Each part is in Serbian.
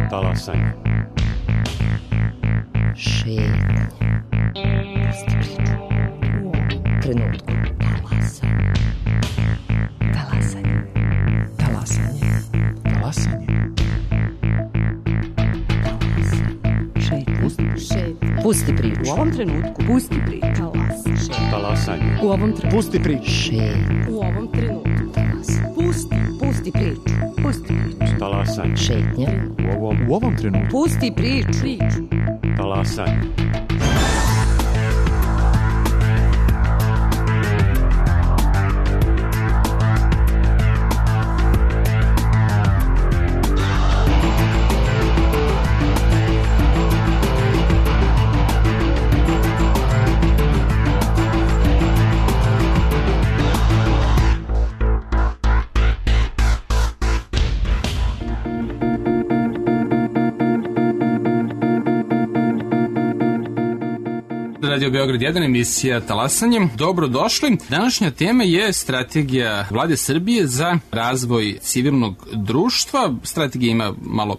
Talasanje. Šetnje. Pusti priču. U ovom trenutku. Talasanje. Talasanje. Talasanje. Talasanje. Šetnje. Pusti priču. U ovom trenutku. Pusti priču. Talasanje. U ovom trenutku. Pusti priču. Šetnje. U ovom trenutku. Pusti priču. Pusti priču. Talasanje. Šetnje. U ovom trenutku. Pusti priču. Talasanje. Radio Beograd 1, emisija Talasanjem. Dobrodošli. Današnja tema je strategija Vlade Srbije za razvoj civilnog društva. Strategija ima malo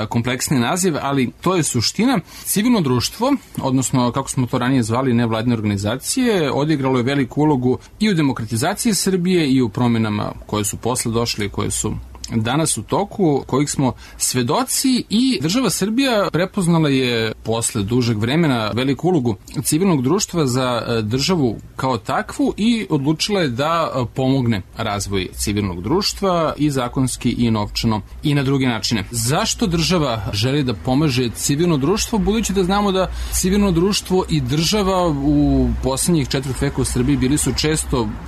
kompleksni naziv, ali to je suština. Civilno društvo, odnosno kako smo to ranije zvali nevladine organizacije, odigralo je veliku ulogu i u demokratizaciji Srbije i u promjenama koje su posle došle i koje su danas u toku, kojih smo svedoci, i država Srbija prepoznala je posle dužeg vremena veliku ulogu civilnog društva za državu kao takvu i odlučila je da pomogne razvoj civilnog društva i zakonski i novčano i na druge načine. Zašto država želi da pomaže civilno društvo, budući da znamo da civilno društvo i država u poslednjih 4 veka u Srbiji bili su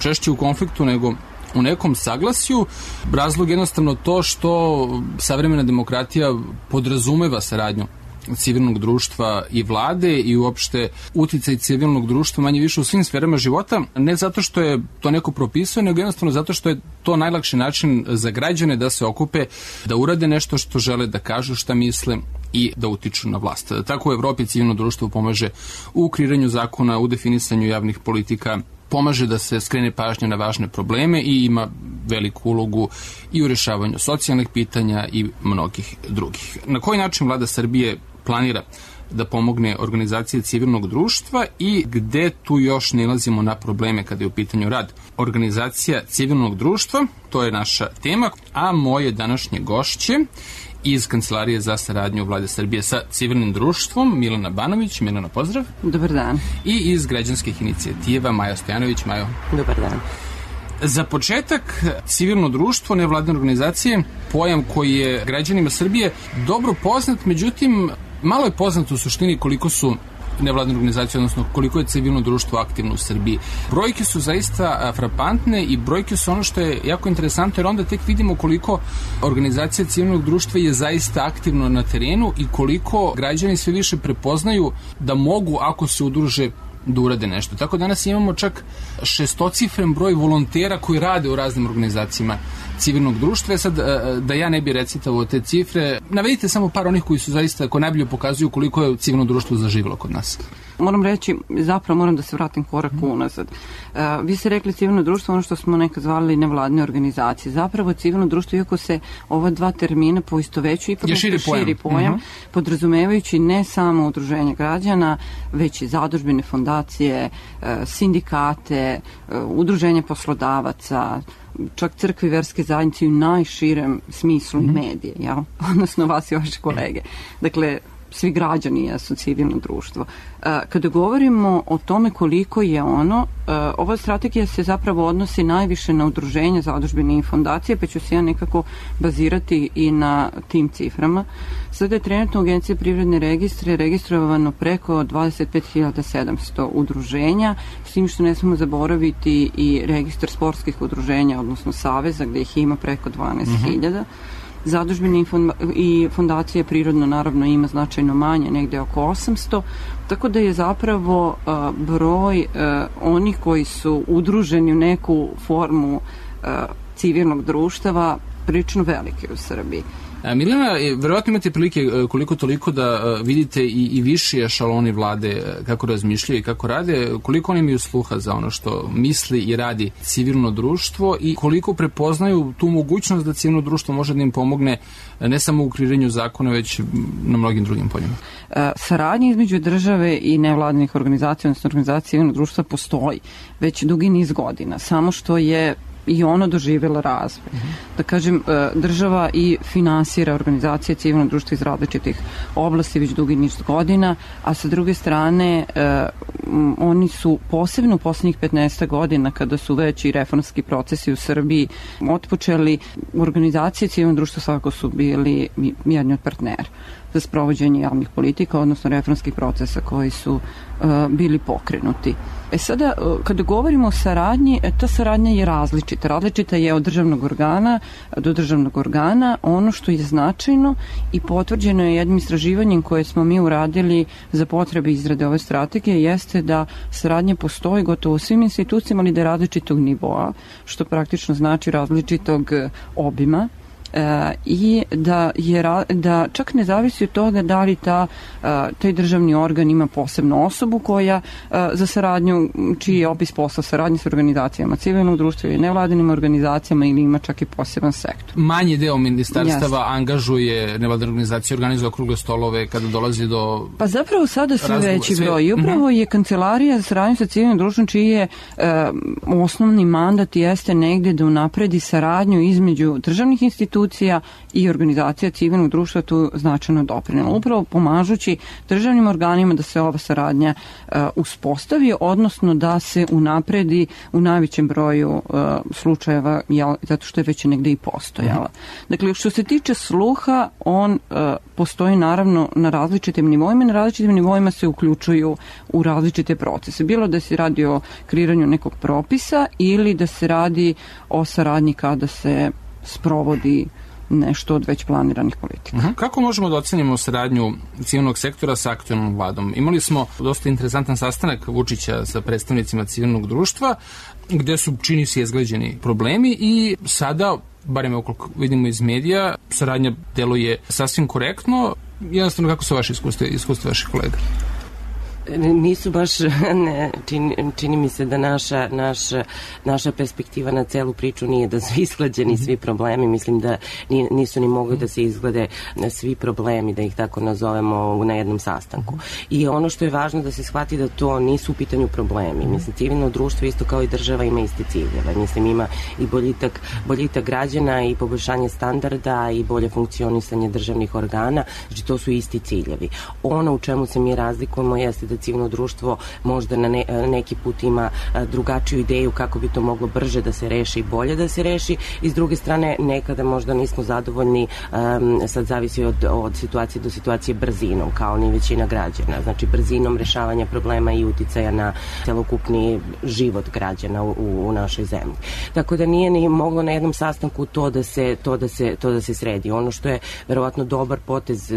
češće u konfliktu nego u nekom saglasju. Razlog jednostavno to što savremena demokratija podrazumeva saradnju civilnog društva i vlade i uopšte uticaj civilnog društva manje više u svim sferama života, ne zato što je to neko propisao, nego jednostavno zato što je to najlakši način za građane da se okupe, da urade nešto što žele, da kažu šta misle i da utiču na vlast. Tako u Evropi civilno društvo pomaže u kreiranju zakona, u definisanju javnih politika, pomaže da se skrene pažnja na važne probleme i ima veliku ulogu i u rešavanju socijalnih pitanja i mnogih drugih. Na koji način Vlada Srbije planira da pomogne organizacije civilnog društva i gde tu još nalazimo na probleme kada je u pitanju rad organizacija civilnog društva? To je naša tema, a moje današnje gošće iz Kancelarije za saradnju Vlade Srbije sa civilnim društvom Milena Banović. Milena, pozdrav. Dobar dan. I iz građanskih inicijativa Maja Stojanović. Majo. Dobar dan. Za početak, civilno društvo, nevladine organizacije, pojam koji je građanima Srbije dobro poznat, međutim, malo je poznat u suštini koliko su nevladine organizacije, odnosno koliko je civilno društvo aktivno u Srbiji. Brojke su zaista frapantne i brojke su ono što je jako interesantno, jer onda tek vidimo koliko organizacija civilnog društva je zaista aktivno na terenu i koliko građani sve više prepoznaju da mogu, ako se udruže, da urade nešto. Tako danas imamo čak 6-cifren broj volontera koji rade u raznim organizacijama civilnog društva. Sad, da ja ne bi recitavao te cifre, navedite samo par onih koji su zaista, koji najbolje pokazuju koliko je civilno društvo zaživjelo kod nas. Moram reći, zapravo moram da se vratim korak unazad. Vi ste rekli civilno društvo, ono što smo nekad zvali nevladine organizacije. Zapravo civilno društvo, iako se ova dva termina poistovećuju, ipak je širi pojam, podrazumevajući ne samo udruženje građana, već i zadužbine, fondacije, sindikate, udruženje poslodavaca, čak crkve i verske zajednice u najširem smislu i medije, jel? Odnosno vas i vaše kolege. Dakle, svi građani jesu civilno društvo. Kada govorimo o tome koliko je ono, ova strategija se zapravo odnosi najviše na udruženje, zadužbine i fondacije, pa ću se ja nekako bazirati i na tim ciframa. Sada je trenutno u Agenciji privredne registre registrovano preko 25.700 udruženja, s tim što ne smemo zaboraviti i registar sportskih udruženja, odnosno saveza, gde ih ima preko 12.000. Zadužbine i fondacije prirodno naravno ima značajno manje, negde oko 800, tako da je zapravo broj onih koji su udruženi u neku formu civilnog društva prilično veliki u Srbiji. Milena, verovatno imate prilike koliko toliko da vidite i viši ešaloni vlade kako razmišljaju i kako rade, koliko oni imaju sluha za ono što misli i radi civilno društvo i koliko prepoznaju tu mogućnost da civilno društvo može da im pomogne ne samo u kreiranju zakona, već na mnogim drugim poljima. Saradnja između države i nevladinih organizacija, odnosno organizacija civilnog društva postoji već dugi niz godina, samo što je i ono doživjela razvoj. Da kažem, država i finansira organizacije civilnog društva iz različitih oblasti već dugi niz godina, a sa druge strane oni su posebno u poslednjih 15 godina, kada su već i reformski procesi u Srbiji otpočeli, organizacije civilnog društva svakako su bili jedni od partnera za sprovođenje javnih politika, odnosno reformskih procesa koji su bili pokrenuti. Sada, kada govorimo o saradnji, ta saradnja je različita. Različita je od državnog organa do državnog organa. Ono što je značajno i potvrđeno je jednim istraživanjem koje smo mi uradili za potrebe izrade ove strategije, jeste da saradnja postoji gotovo u svim institucijama, ali da je različitog nivoa, što praktično znači različitog obima. I da čak ne zavisi od toga da li taj državni organ ima posebnu osobu koja za saradnju, čiji je opis posla saradnje s organizacijama civilnog društva i nevladinim organizacijama ili ima čak i poseban sektor. Manji deo ministarstava angažuje nevladine organizacije, organizuje okrugle stolove kada dolazi do... Pa zapravo sada sve veći broj. I upravo je Kancelarija za saradnju sa civilnim društvom, čiji je osnovni mandat jeste negde da unapredi saradnju između državnih institucija i organizacija civilnog društva tu značajno doprinela. Upravo pomažući državnim organima da se ova saradnja uspostavi, odnosno da se unapredi u najvećem broju slučajeva, zato što je već negde i postojala. Dakle, što se tiče sluha, on postoji naravno na različitim nivoima i na različitim nivoima se uključuju u različite procese. Bilo da se radi o kreiranju nekog propisa ili da se radi o saradnji kada se sprovodi nešto od već planiranih politika. Kako možemo da ocenimo saradnju civilnog sektora sa aktuelnom vladom? Imali smo dosta interesantan sastanak Vučića sa predstavnicima civilnog društva, gde su, čini se, izgleđeni problemi i sada, barem ukoliko vidimo iz medija, saradnja deluje sasvim korektno. Jednostavno, kako su vaše iskustva vaših kolega? Nisu baš, čini mi se da naša perspektiva na celu priču nije da su isklađeni svi problemi, mislim da nisu ni mogli da se izglede svi problemi, da ih tako nazovemo na jednom sastanku. I ono što je važno da se shvati da to nisu u pitanju problemi. Mislim, civilno društvo isto kao i država ima iste ciljeve. Mislim, ima i boljitak građana i poboljšanje standarda i bolje funkcionisanje državnih organa, znači to su isti ciljevi. Ono u čemu se mi razlikujemo jeste da civilno društvo možda na neki put ima drugačiju ideju kako bi to moglo brže da se reši i bolje da se reši i s druge strane nekada možda nismo zadovoljni, sad zavisi od situacije do situacije brzinom, kao ni većina građana, znači brzinom rešavanja problema i uticaja na celokupni život građana u našoj zemlji. Tako da nije ni moglo na jednom sastanku to da se sredi. Ono što je verovatno dobar potez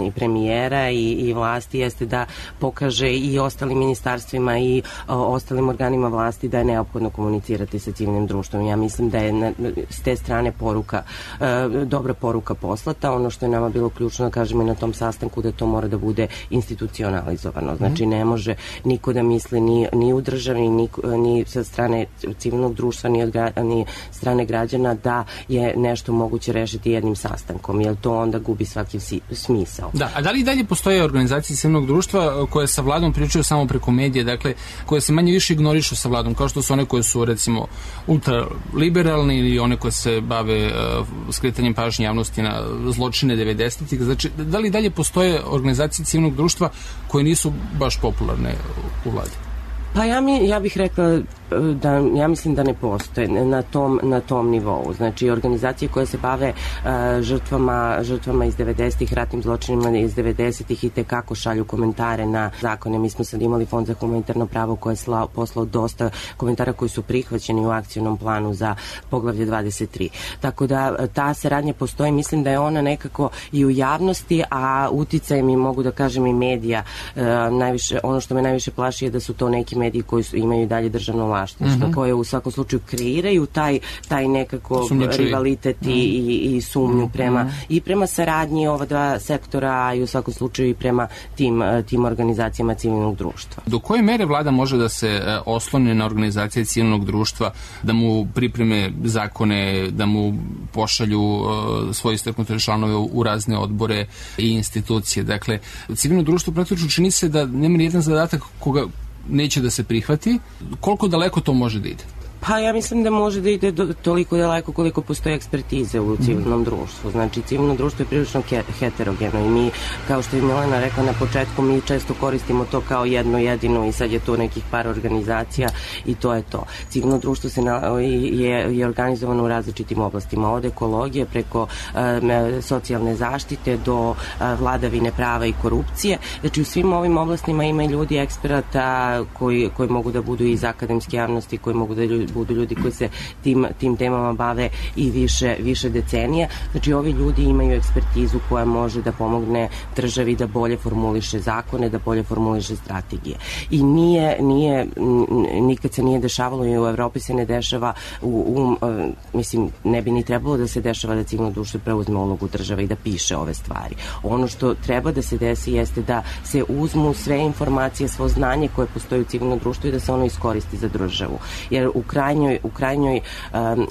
i premijera i vlasti jeste da pokaže i ostalim ministarstvima i ostalim organima vlasti da je neophodno komunicirati sa civilnim društvom. Ja mislim da je s te strane dobra poruka poslata. Ono što je nama bilo ključno da kažemo i na tom sastanku da to mora da bude institucionalizovano. Znači ne može niko da misli ni u državi, ni sa strane civilnog društva, ni strane građana da je nešto moguće rešiti jednim sastankom, jer to onda gubi svaki smisao. Da, a da li i dalje postoje organizacije civilnog društva koje sa vladom pričaju samo preko medije, dakle, koje se manje više ignorišu sa vladom, kao što su one koje su, recimo, ultraliberalne ili one koje se bave skretanjem pažnje javnosti na zločine 90-ih. Znači, da li dalje postoje organizacije civilnog društva koje nisu baš popularne u vladi? Pa ja bih rekla da ja mislim da ne postoje na tom nivou. Znači, organizacije koje se bave žrtvama iz 90-ih, ratnim zločinima iz 90-ih i tekako šalju komentare na zakone. Mi smo sad imali Fond za humanitarno pravo koje je poslao dosta komentara koji su prihvaćeni u akcionom planu za poglavlje 23. Tako da ta saradnja postoji. Mislim da je ona nekako i u javnosti, a uticaj mi mogu da kažem i medija. Ono što me najviše plaši je da su to neki mediji koji imaju dalje državno vlasništvo, koje u svakom slučaju kreiraju taj nekako rivalitet i sumnju prema saradnji ova dva sektora i u svakom slučaju i prema tim organizacijama civilnog društva. Do koje mere vlada može da se osloni na organizacije civilnog društva, da mu pripreme zakone, da mu pošalju svoje istaknute članove u razne odbore i institucije? Dakle, civilno društvo praktično čini se da nema ni jedan zadatak koga neće da se prihvati. Koliko daleko to može da ide? Pa ja mislim da može da ide toliko daleko koliko postoje ekspertize u civilnom društvu. Znači, civilno društvo je prilično heterogeno i mi, kao što je Milena rekla na početku, mi često koristimo to kao jedno jedino i sad je to nekih par organizacija i to je to. Civilno društvo je organizovano u različitim oblastima, od ekologije preko socijalne zaštite do vladavine prava i korupcije. Znači, u svim ovim oblastima ima ljudi eksperata koji mogu da budu iz akademske javnosti, koji mogu da budu ljudi koji se tim temama bave i više decenija. Znači, ovi ljudi imaju ekspertizu koja može da pomogne državi da bolje formuliše zakone, da bolje formuliše strategije. I nikad se nije dešavalo i u Evropi se ne dešava, mislim, ne bi ni trebalo da se dešava da civilno društvo preuzme ulogu države i da piše ove stvari. Ono što treba da se desi jeste da se uzmu sve informacije, svo znanje koje postoji u civilnom društvu i da se ono iskoristi za državu. Jer u krajnjoj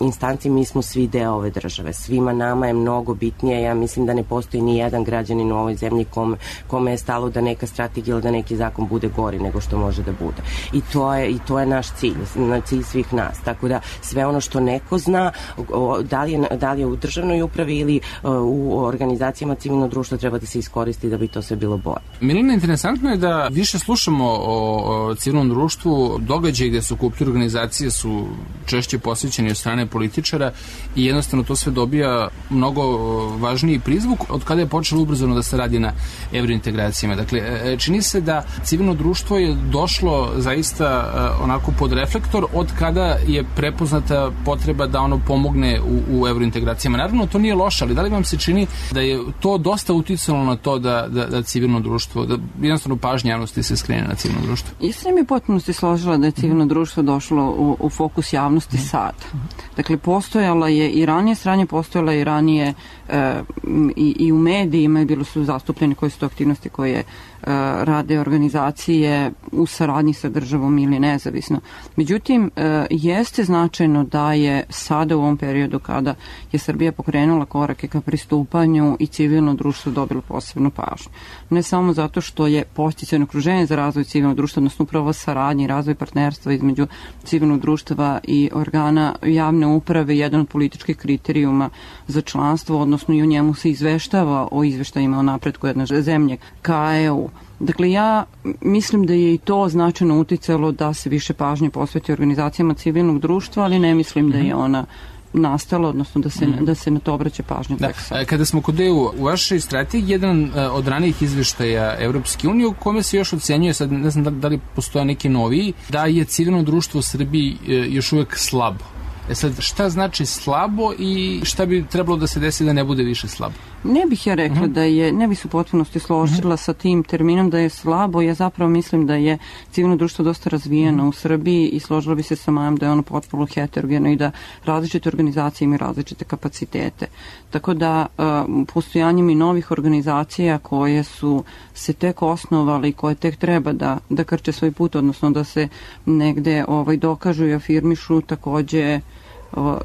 instanci mi smo svi deo ove države. Svima nama je mnogo bitnije. Ja mislim da ne postoji ni jedan građanin u ovoj zemlji kome je stalo da neka strategija ili da neki zakon bude gori nego što može da bude. I to je naš cilj, cilj svih nas. Tako da sve ono što neko zna, da li je u državnoj upravi ili u organizacijama civilnog društva, treba da se iskoristi da bi to sve bilo bolje. Milena, interesantno je da više slušamo o civilnom društvu, događaje gde se okupljaju organizacije su češće posvećeni od strane političara i jednostavno to sve dobija mnogo važniji prizvuk od kada je počelo ubrzano da se radi na evrointegracijama. Dakle, čini se da civilno društvo je došlo zaista onako pod reflektor od kada je prepoznata potreba da ono pomogne u evrointegracijama. Naravno, to nije loše, ali da li vam se čini da je to dosta uticalo na to da civilno društvo, da jednostavno pažnja javnosti se skrene na civilno društvo? Ja sam mi potpuno se složila da je civilno društvo došlo u fokus javnosti sad. Dakle, postojala je i ranije sranje, postojala je i ranije i u medijima, bilo su zastupljeni koje su to aktivnosti koje rade organizacije u saradnji sa državom ili nezavisno. Međutim, jeste značajno da je sada u ovom periodu kada je Srbija pokrenula korake ka pristupanju i civilno društvo dobilo posebnu pažnju. Ne samo zato što je podsticajno okruženje za razvoj civilnog društva, odnosno upravo saradnje i razvoj partnerstva između civilnog društva i organa javne uprave jedan od političkih kriterijuma za članstvo, odnosno i u njemu se izveštava o izveštajima o napretku jedne zemlje ka EU. Dakle, ja mislim da je i to značajno uticalo da se više pažnje posveti organizacijama civilnog društva, ali ne mislim da je ona nastala, odnosno da se na to obraća pažnja. Kada smo kod EU, u vašoj strategiji jedan od ranijih izveštaja Evropske unije u kome se još ocenjuje, sad ne znam da li postoje neki noviji, da je civilno društvo u Srbiji još uvek slabo. Sad, šta znači slabo i šta bi trebalo da se desi da ne bude više slabo? Ne bih ja rekla da je, ne bih se u potpunosti složila sa tim terminom da je slabo. Ja zapravo mislim da je civilno društvo dosta razvijeno u Srbiji i složila bi se sa Majom da je ono potpuno heterogeno i da različite organizacije imaju različite kapacitete. Tako da postojanjem i novih organizacija koje su se tek osnovali, koje tek treba da krče svoj put, odnosno da se negde dokažu i afirmišu, takođe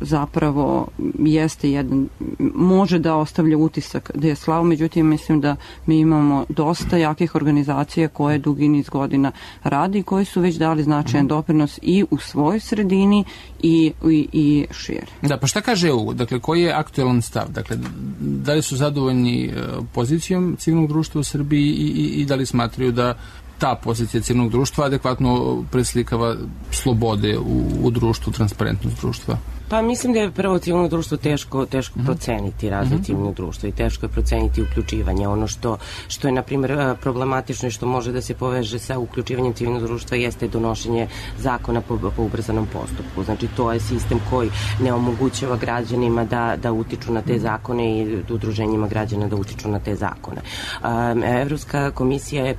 zapravo jeste jedan, može da ostavlja utisak da je slabo, međutim mislim da mi imamo dosta jakih organizacija koje dugi niz godina radi i koji su već dali značajan doprinos i u svojoj sredini i šire. Da, pa šta kaže EU? Dakle, koji je aktualan stav? Dakle, da li su zadovoljni pozicijom civilnog društva u Srbiji i da li smatraju da ta pozicija civilnog društva adekvatno preslikava slobode u društvu, transparentnost društva? Pa mislim da je prvo civilno društvo teško proceniti razvoj civilnog društva i teško je proceniti uključivanje. Ono što je, na primjer, problematično i što može da se poveže sa uključivanjem civilnog društva jeste donošenje zakona po ubrzanom postupku. Znači, to je sistem koji ne omogućava građanima da utiču na te zakone i udruženjima građana da utiču na te zakone. Evropska komisija je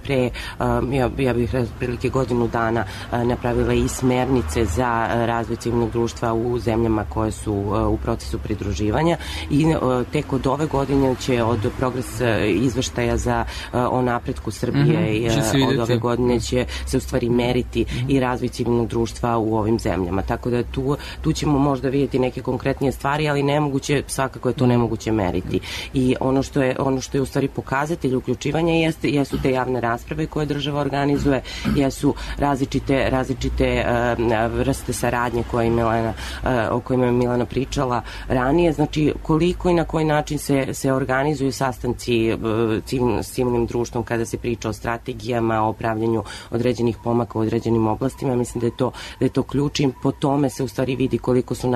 ja bih prilike godinu dana napravila i smernice za razvoj civilnog društva u zemljama koje su u procesu pridruživanja i tek od ove godine će od progres izveštaja o napretku Srbije i od ove godine će se u stvari meriti i razvoj civilnog društva u ovim zemljama. Tako da tu ćemo možda vidjeti neke konkretnije stvari, ali nemoguće, svakako je to nemoguće meriti. I ono što je u stvari pokazatelj uključivanja jesu te javne rasprave koje država organizuje, jesu različite vrste saradnje o kojima je Milana pričala ranije, znači koliko i na koji način se organizuju sastanci s civilnim društvom kada se priča o strategijama, o pravljenju određenih pomaka u određenim oblastima. Mislim da je to ključ i po tome se u stvari vidi koliko su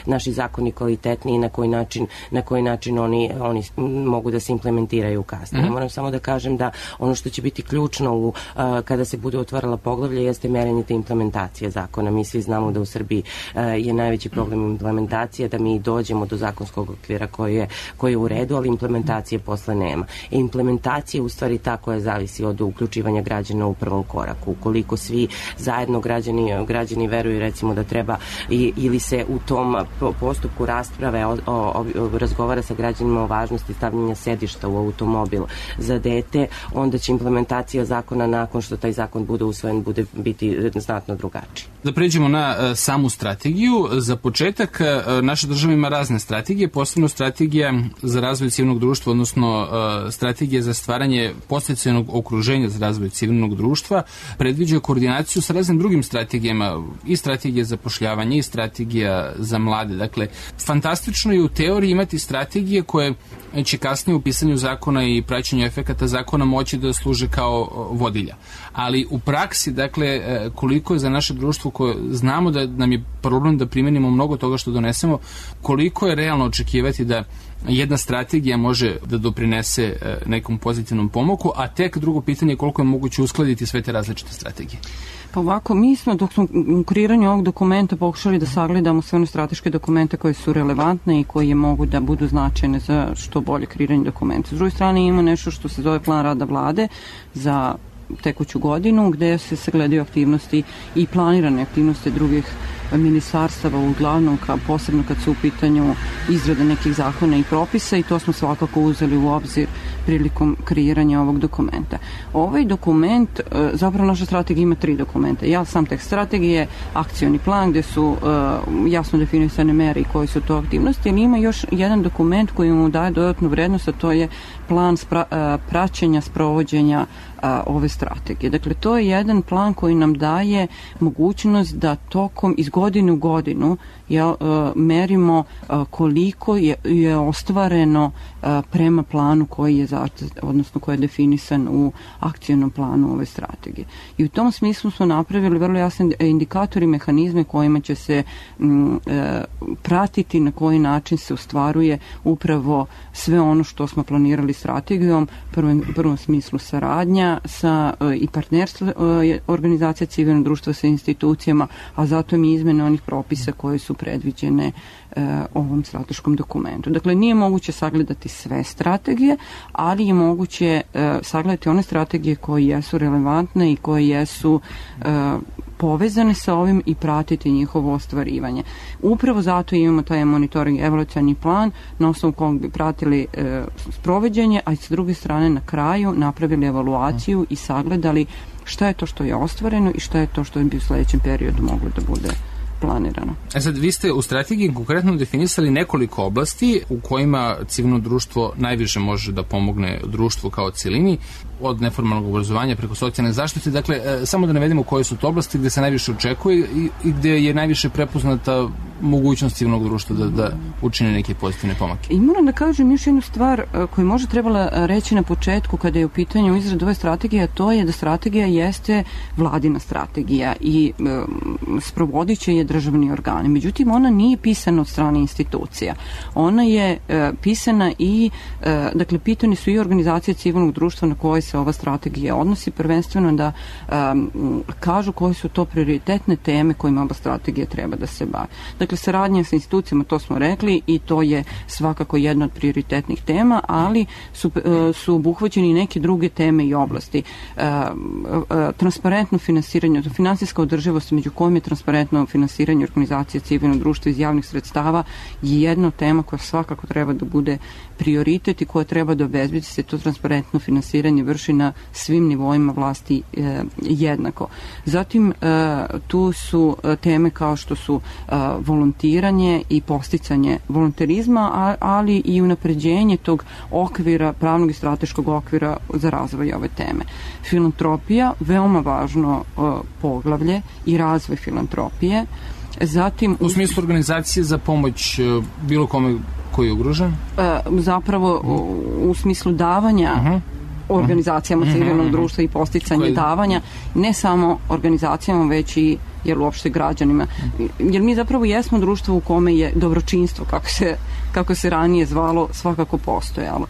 naši zakoni kvalitetni i na koji način oni mogu da se implementiraju kasnije. Moram samo da kažem da ono što će biti ključno kada se bude otvarala poglavlja jeste merenje te implementacije zakona. Mi svi znamo da u Srbiji je najveći problem implementacije, da mi dođemo do zakonskog okvira koji je u redu, ali implementacije posle nema. Implementacija u stvari ta koja zavisi od uključivanja građana u prvom koraku. Ukoliko svi zajedno građani veruju recimo da treba ili se u tom postupku rasprave razgovara sa građanima o važnosti stavljanja sedišta u automobil za dete, onda će implementacija zakona nakon što taj zakon bude usvojen biti znatno drugačiji. Da pređemo na samu strategiju. Za početak, naša država ima razne strategije, posebno strategija za razvoj civilnog društva, odnosno strategija za stvaranje podsticajnog okruženja za razvoj civilnog društva, predviđa koordinaciju sa raznim drugim strategijama, i strategija za zapošljavanje, i strategija za mlade. Dakle, fantastično je u teoriji imati strategije koje će kasnije u pisanju zakona i praćenju efekata zakona moći da služe kao vodilja. Ali u praksi, dakle, koliko je za naše društvo koje znamo da nam je problem da primenimo mnogo toga što donesemo, koliko je realno očekivati da jedna strategija može da doprinese nekom pozitivnom pomaku, a tek drugo pitanje je koliko je moguće uskladiti sve te različite strategije. Pa ovako, mi smo dok smo u kreiranju ovog dokumenta pokušali da sagledamo sve one strateške dokumente koje su relevantne i koje mogu da budu značajne za što bolje kreiranje dokumenta. S druge strane ima nešto što se zove plan rada vlade za tekuću godinu, gde se sagledaju aktivnosti i planirane aktivnosti drugih ministarstava, uglavnom posebno kad su u pitanju izrade nekih zakona i propisa, i to smo svakako uzeli u obzir prilikom kreiranja ovog dokumenta. Ovaj dokument, zapravo naša strategija ima 3 dokumenta. Sam tekst strategije, akcioni plan gde su jasno definisane mere i koje su to aktivnosti, ali ima još jedan dokument koji mu daje dodatnu vrednost, a to je plan praćenja sprovođenja ove strategije. Dakle, to je jedan plan koji nam daje mogućnost da tokom iz godine u godinu merimo koliko je ostvareno prema planu koji je koji je definisan u akcionom planu ove strategije. I u tom smislu smo napravili vrlo jasne indikatori, mehanizme kojima će se pratiti na koji način se ostvaruje upravo sve ono što smo planirali strategijom, u prvom smislu saradnja i partnerstvo organizacija civilnog društva sa institucijama, a zatim i izmene onih propisa koje su predviđene ovom strateškom dokumentu. Dakle, nije moguće sagledati sve strategije, ali je moguće sagledati one strategije koje jesu relevantne i koje jesu povezane sa ovim i pratiti njihovo ostvarivanje. Upravo zato imamo taj monitoring evaluacioni plan na osnovu kog bi pratili sprovođenje, a s druge strane na kraju napravili evaluaciju i sagledali šta je to što je ostvareno i šta je to što bi u sledećem periodu moglo da bude planirano. Sad, vi ste u strategiji konkretno definisali nekoliko oblasti u kojima civilno društvo najviše može da pomogne društvu kao celini, od neformalnog obrazovanja preko socijalne zaštite. Dakle, samo da navedemo koje su to oblasti gde se najviše očekuje i gde je najviše prepoznata mogućnost civilnog društva da učine neke pozitivne pomake. I moram da kažem još jednu stvar koju možda trebala reći na početku kada je u pitanju izrada ove strategije, a to je da strategija jeste vladina strategija i sprovodit će je državni organi. Međutim, ona nije pisana od strane institucija. Ona je pisana i, dakle, pitani su i organizacije civilnog društva na koje se ova strategija odnosi, prvenstveno da kažu koje su to prioritetne teme kojima ova strategija treba da se bavi. Dakle, saradnja sa institucijama, to smo rekli, i to je svakako jedna od prioritetnih tema, ali su obuhvaćeni i neke druge teme i oblasti. Transparentno finansiranje, finansijska održivost, među kojim je transparentno finansiranje organizacije civilnog društva iz javnih sredstava, je jedna tema koja svakako treba da bude prioritet i koja treba da obezbedi se to transparentno finansiranje vrši na svim nivoima vlasti jednako. Zatim, tu su teme kao što su volontiranje i posticanje volonterizma, ali i unapređenje tog okvira, pravnog i strateškog okvira za razvoj ove teme. Filantropija, veoma važno poglavlje i razvoj filantropije. Zatim, u smislu organizacije za pomoć bilo kome koji je ugrožen? Zapravo u smislu davanja organizacijama civilnog društva i posticanje davanja, ne samo organizacijama, već i uopšte građanima. Jer mi zapravo jesmo društvo u kome je dobročinstvo, kako se ranije zvalo, svakako postojalo.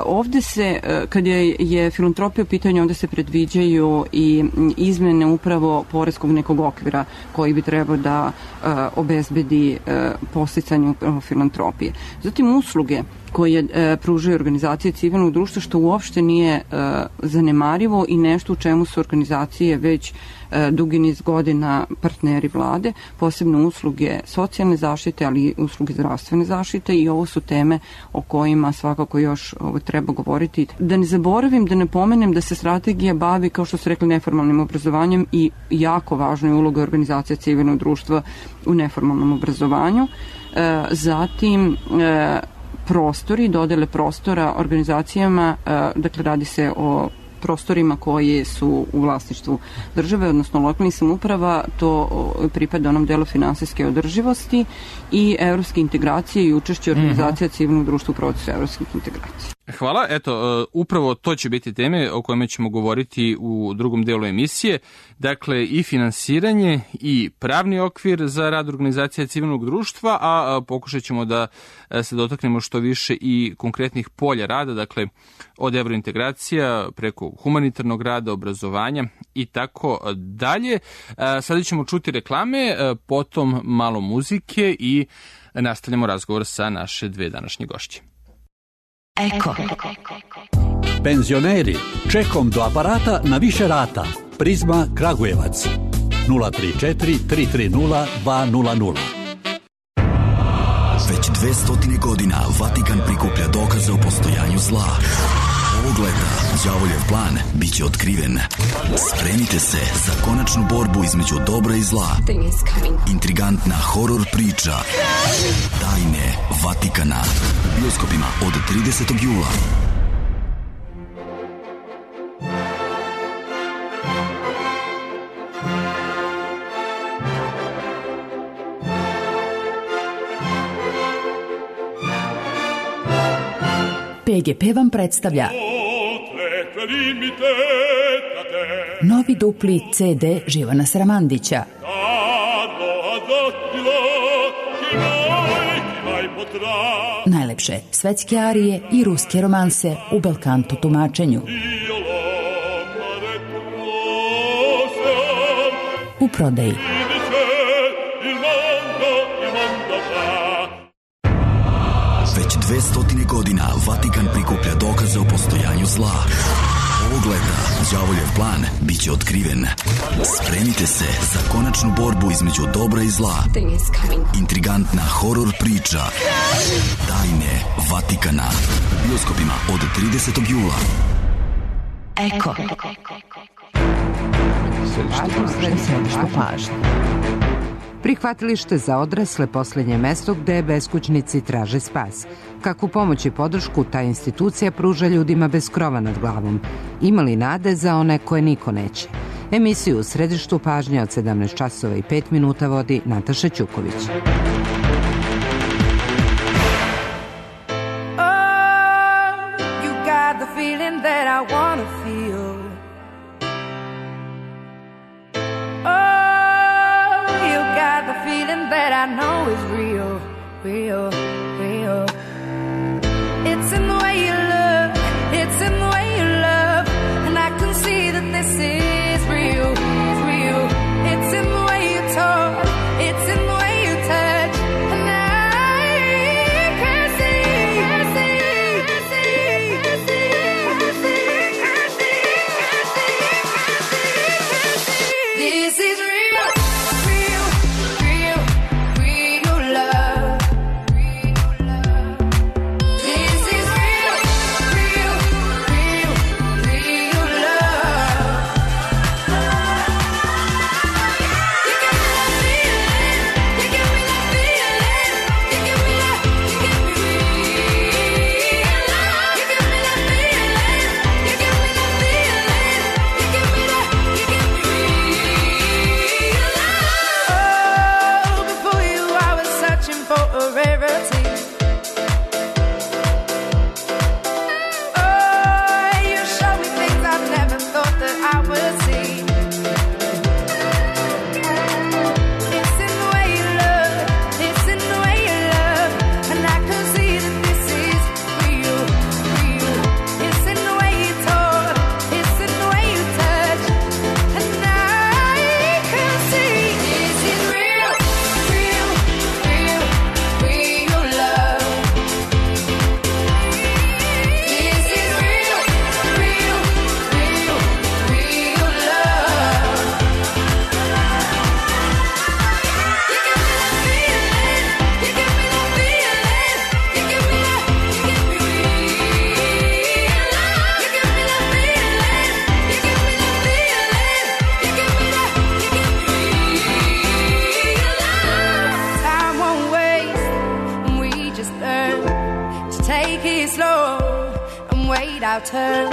Ovde se, kad je filantropija u pitanju, ovde se predviđaju i izmene upravo poreskog nekog okvira koji bi trebao da obezbedi podsticanje upravo filantropije. Zatim usluge koje pružaju organizacije civilnog društva, što uopšte nije zanemarivo i nešto u čemu su organizacije već dugi niz godina partneri vlade, posebno usluge socijalne zaštite, ali i usluge zdravstvene zaštite, i ovo su teme o kojima svakako još treba govoriti. Da ne zaboravim, da ne pomenem da se strategija bavi, kao što su rekli, neformalnim obrazovanjem i jako važna je uloga organizacija civilnog društva u neformalnom obrazovanju. Zatim, prostori, dodele prostora organizacijama, dakle radi se o prostorima koji su u vlasništvu države, odnosno lokalnih samouprava, to pripada onom delu finansijske održivosti i evropske integracije i učešće organizacija civilnog društva u procesu evropskih integracija. Hvala. Eto, upravo to će biti teme o kojima ćemo govoriti u drugom delu emisije. Dakle, i finansiranje i pravni okvir za rad organizacija civilnog društva, a pokušat ćemo da se dotaknemo što više i konkretnih polja rada, dakle, od evrointegracija preko humanitarnog rada, obrazovanja i tako dalje. Sada ćemo čuti reklame, potom malo muzike i nastavljamo razgovor sa naše dve današnje gošće. Eko. Penzioneri, čekom do aparata na više rata. Prizma Kragujevac 034 330 200. Već 200 godina Vatikan prikuplja dokaze o postojanju zla. Ovog leta đavoljev plan biće otkriven. Spremite se za konačnu borbu između dobra i zla. Intrigantna horor priča Tajne Vatikana u bioskopima od 30. jula. PGP vam predstavlja novi dupli CD Živana Sramandića. Najlepše svetske arije i ruske romanse u belkanto tumačenju. U prodaji. Već 200 godina Vatikan prikuplja dokaze o postojanju zla. Ovog leta đavoljev plan biće otkriven. Spremite se za konačnu borbu između dobra i zla. Intrigantna horor priča Tajne Vatikana u bioskopima od 30. jula. Eko. Središte pažnje. Prihvatilište za odrasle posljednje mesto gde beskućnici traže spas. Kakvu pomoć i podršku ta institucija pruža ljudima bez krova nad glavom? Ima li nade za one koje niko neće? Emisiju u Središtu pažnje od 17 časova i 5 minuta vodi Nataša Ćuković. is real, real, real. It's in the way you look, it's in the way you love, and I can see that this is real, real. It's in the way you talk, it's in the way you touch, and I can see, can see, can see, can see, can see, can see, can see. This is real, real, real, real love. This is real, real, real, real love. You give me that feeling, you give me that feeling, you give me that, you give me real love. You give me that feeling, you give me that feeling, you give me that, you give me real love. Oh, before you I was searching for a rarity. Oh, you showed me things I never thought that I would see. It's in the way you look, it's in the way you love, and I can see that this is real, real. It's in the way you talk, it's in the way you touch, and I can see this is real, real, real, real love. This is real, real, real, real love. You give me that feeling, you give me that feeling, you give me that, you give me real love. You give me that feeling, you give me that feeling, you give me that, you give me real love. Time won't waste, and we just learn to take it slow and wait our turn.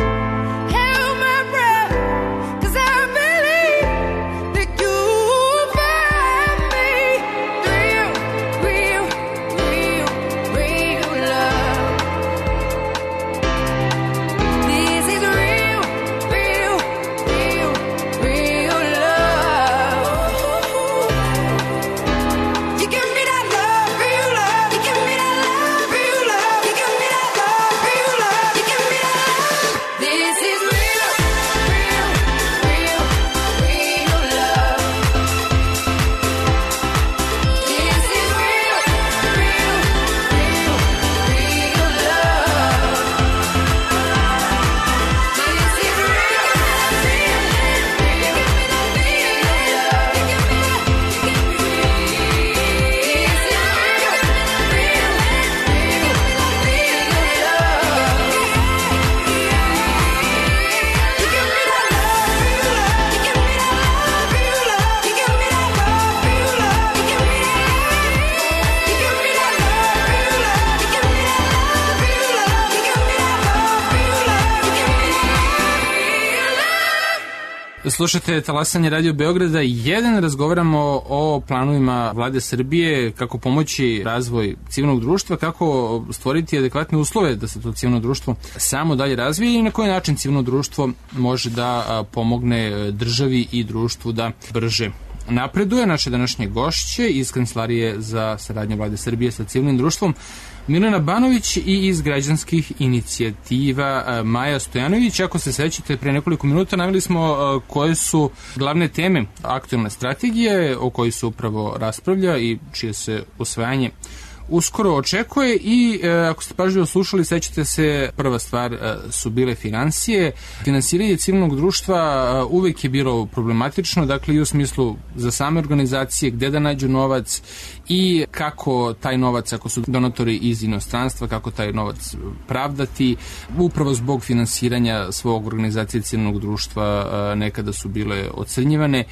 Hold my breath, 'cause I believe that you'll find me. Real, real, real, real love. This is real, real, real, real love. You give me that love, real love. You give me that love, real love. You give me that love, real love. You give me that love. This is real, real, real, real love. This is real, real, real, real love. This is real, real, real, real love. You give me that, you give me real. This is real, real, real, real love. You give me that love, real love. You give me that love, real love. You give me that love, real love. You give me that love. You give me that love, real love. You give me that love, real love. You give me that love, real love. You give me real love. Slušate Talasanje Radio Beograda 1, razgovaramo o planovima vlade Srbije, kako pomoći razvoj civilnog društva, kako stvoriti adekvatne uslove da se to civilno društvo samo dalje razvije i na koji način civilno društvo može da pomogne državi i društvu da brže napreduje. Naše današnje gošće iz Kancelarije za saradnju vlade Srbije sa civilnim društvom Milena Banović i iz građanskih inicijativa Maja Stojanović. Ako se sećate, pre nekoliko minuta naveli smo koje su glavne teme aktualne strategije o kojoj se upravo raspravlja i čije se usvajanje uskoro očekuje i ako ste pažljivo slušali, sećate se, prva stvar su bile finansije. Finansiranje civilnog društva uvek je bilo problematično, dakle i u smislu za same organizacije, gde da nađu novac i kako taj novac, ako su donatori iz inostranstva, kako taj novac pravdati. Upravo zbog finansiranja svog organizacije civilnog društva nekada su bile ocrnjivane.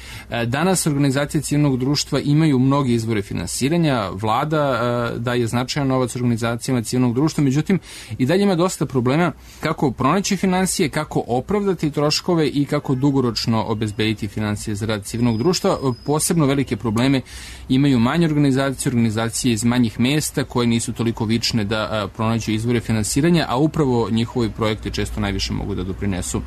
Danas organizacije civilnog društva imaju mnogi izvore finansiranja, vlada daje značajan novac organizacijama civilnog društva, međutim i dalje ima dosta problema kako pronaći finansije, kako opravdati troškove i kako dugoročno obezbediti finansije za rad civilnog društva. Posebno velike probleme imaju manje organizacije iz manjih mesta koje nisu toliko vične da pronađu izvore finansiranja, a upravo njihovi projekti često najviše mogu da doprinesu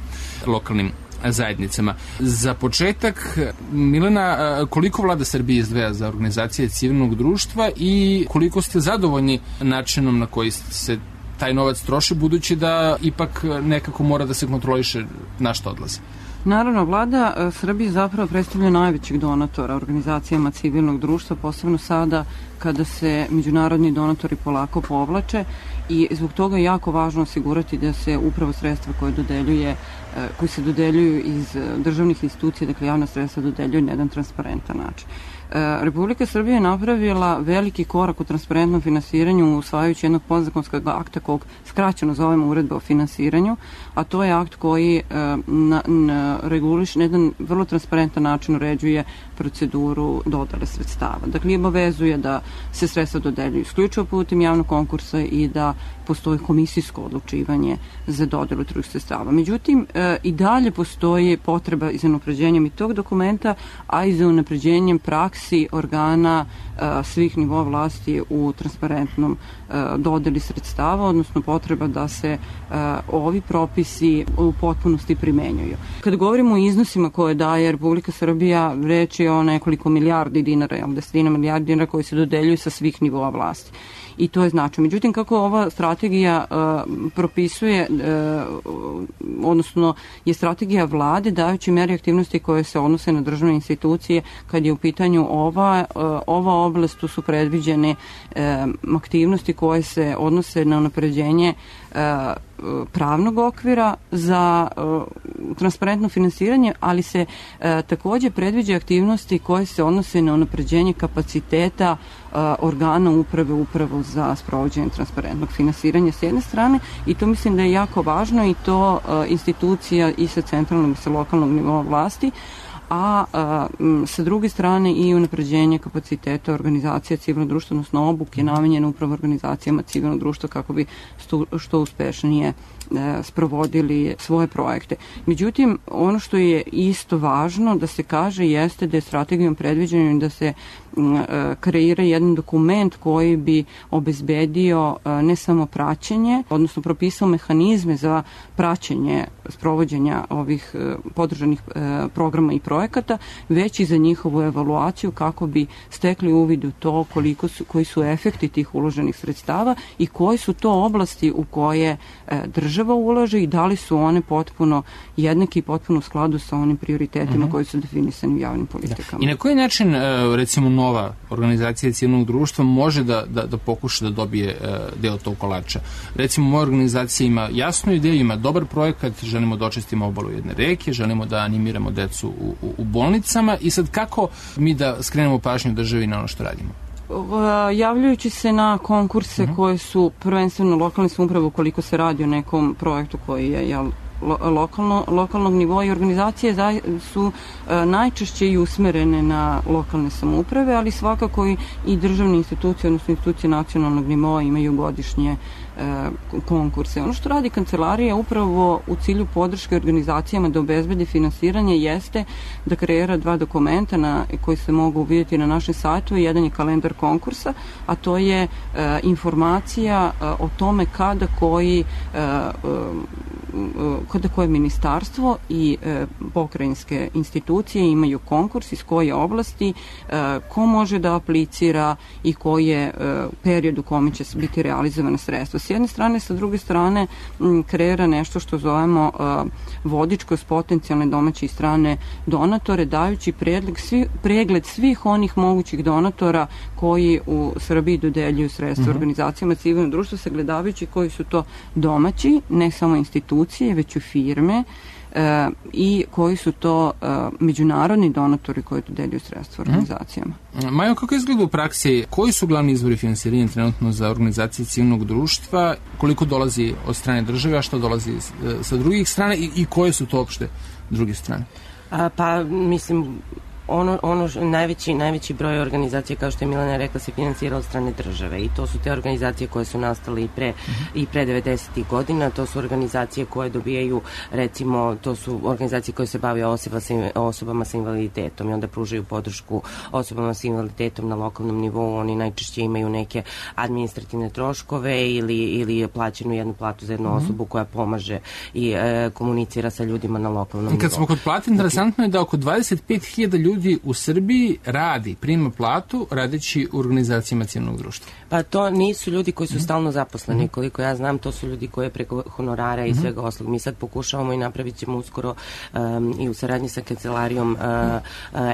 lokalnim zajednicama. Za početak, Milena, koliko vlada Srbije izdvaja za organizacije civilnog društva i koliko ste zadovoljni načinom na koji se taj novac troši, budući da ipak nekako mora da se kontroliše na što odlazi? Naravno, vlada Srbije zapravo predstavlja najvećeg donatora organizacijama civilnog društva, posebno sada kada se međunarodni donatori polako povlače, i zbog toga je jako važno osigurati da se upravo sredstva koji se dodeljuju iz državnih institucija, dakle javna sredstva, dodeljuju na jedan transparentan način. Republika Srbija je napravila veliki korak u transparentnom finansiranju usvajajući jednog podzakonskog akta kog skraćeno zovemo Uredba o finansiranju, a to je akt koji reguliše na jedan vrlo transparentan način uređuje proceduru dodele sredstava. Dakle, obavezuje da se sredstva dodeljuju isključivo putem javnog konkursa i da postoji komisijsko odlučivanje za dodelu drugih sredstava. Međutim, i dalje postoji potreba za unapređenjem i tog dokumenta, a i za unapređenjem praksi organa svih nivoa vlasti u transparentnom dodeli sredstava, odnosno potreba da se ovi propisi u potpunosti primenjuju. Kada govorimo o iznosima koje daje Republika Srbija, reč je o nekoliko milijardi dinara, desetina milijardi dinara koji se dodeljuju sa svih nivoa vlasti. I to je značajno. Međutim, kako ova strategija propisuje, odnosno je strategija vlade dajući meri aktivnosti koje se odnose na državne institucije, kad je u pitanju ova oblast, tu su predviđene aktivnosti koje se odnose na unapređenje pravnog okvira za transparentno finansiranje, ali se takođe predviđa aktivnosti koje se odnose na unapređenje kapaciteta organa upravo za sprovođenje transparentnog finansiranja s jedne strane, i to mislim da je jako važno, i to institucija i sa centralnog i sa lokalnog nivoa vlasti, a sa druge strane i unapređenje kapaciteta organizacija civilnog društva, odnosno obuke namenjene upravo organizacijama civilnog društva kako bi što uspešnije sprovodili svoje projekte. Međutim, ono što je isto važno da se kaže jeste da je strategijom predviđeno da se kreira jedan dokument koji bi obezbedio ne samo praćenje, odnosno propisao mehanizme za praćenje sprovođenja ovih podržanih programa i projekata, već i za njihovu evaluaciju kako bi stekli uvid u to koji su efekti tih uloženih sredstava i koji su to oblasti u koje država ulaže i da li su one potpuno jednaki i potpuno u skladu sa onim prioritetima koji su definisani u javnim politikama. I na koji način, recimo, nova organizacija civilnog društva može da pokuša da dobije deo tog kolača? Recimo, moja organizacija ima jasnu ideju, ima dobar projekat, želimo da očistimo obalu jedne reke, želimo da animiramo decu u bolnicama, i sad kako mi da skrenemo pažnju državi na ono što radimo? Javljajući se na konkurse koje su prvenstveno lokalne samouprave, ukoliko se radi o nekom projektu koji je lokalnog nivoa, i organizacije su najčešće i usmerene na lokalne samouprave, ali svakako i državne institucije, odnosno institucije nacionalnog nivoa imaju godišnje konkurse. Ono što radi kancelarija upravo u cilju podrške organizacijama da obezbede finansiranje jeste da kreira 2 dokumenta koji se mogu vidjeti na našem sajtu. Jedan je kalendar konkursa, a to je informacija o tome kada koje ministarstvo i pokrajinske institucije imaju konkurs, iz koje oblasti, ko može da aplicira i koji je period u kome će biti realizovane sredstva. S jedne strane, sa druge strane kreira nešto što zovemo vodič kroz potencijalne domaće i strane donatore, dajući pregled svih onih mogućih donatora koji u Srbiji dodeljuju sredstva organizacijama civilnog društva, sagledavajući koji su to domaći, ne samo institucije, već i firme, i koji su to međunarodni donatori koji dodeljuju sredstva organizacijama. Majo, kako izgleda u praksi? Koji su glavni izvori finansiranja trenutno za organizacije civilnog društva? Koliko dolazi od strane države, a što dolazi sa drugih strana, i koje su to opšte druge strane? Pa, mislim, najveći broj organizacija, kao što je Milena rekla, se finansira od strane države i to su te organizacije koje su nastale i pre 90. godina. To su organizacije koje dobijaju, recimo, to su organizacije koje se bave osobama sa invaliditetom i onda pružaju podršku osobama sa invaliditetom na lokalnom nivou. Oni najčešće imaju neke administrativne troškove ili plaćenu jednu platu za jednu osobu koja pomaže i komunicira sa ljudima na lokalnom nivou. I kad smo kod plate, interesantno je da oko 25.000 ljudi u Srbiji prima platu radeći u organizacijama civilnog društva. Pa to nisu ljudi koji su stalno zaposleni, koliko ja znam, to su ljudi koji preko honorara i svega oslog. Mi sad pokušavamo i napravit ćemo uskoro i u saradnji sa kancelarijom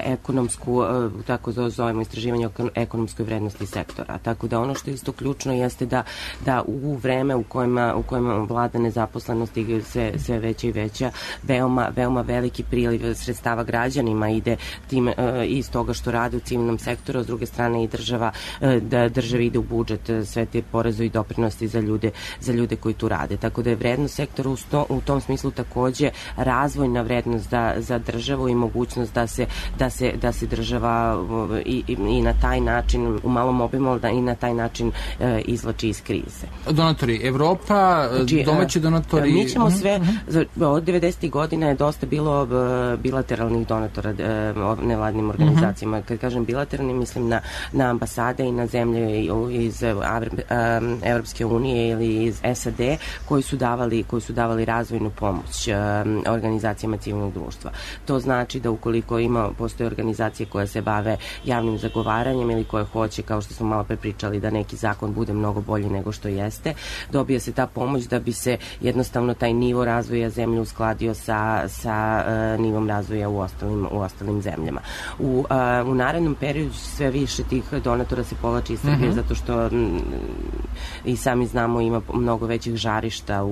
ekonomsku, tako zovemo, istraživanje ekonomskoj vrednosti sektora. Tako da ono što je isto ključno jeste da u vreme u kojima vlada nezaposlenost i sve veća i veća, veoma veliki priliv sredstava građanima ide tim iz toga što rade u civilnom sektoru, a s druge strane i državi ide u budžet sve te poreze i doprinosti za ljude koji tu rade. Tako da je vrednost sektora u tom smislu takođe razvojna vrednost za državu i mogućnost da se država i na taj način u malom obimu i na taj način izvlači iz krize. Donatori Evropa, domaći donatori... Mi ćemo sve, od 90. godina je dosta bilo bilateralnih donatora nevladnim organizacijama. Kad kažem bilateralni, mislim na ambasade i na zemlje iz Evropske unije ili iz SAD koji su davali razvojnu pomoć organizacijama civilnog društva. To znači da ukoliko postoje organizacije koje se bave javnim zagovaranjem ili koje hoće, kao što smo malo pre pričali, da neki zakon bude mnogo bolji nego što jeste, dobije se ta pomoć da bi se jednostavno taj nivo razvoja zemlje uskladio sa nivom razvoja u ostalim zemljama. U narednom periodu sve više tih donatora se povlači iz Srbije zato što i sami znamo ima mnogo većih žarišta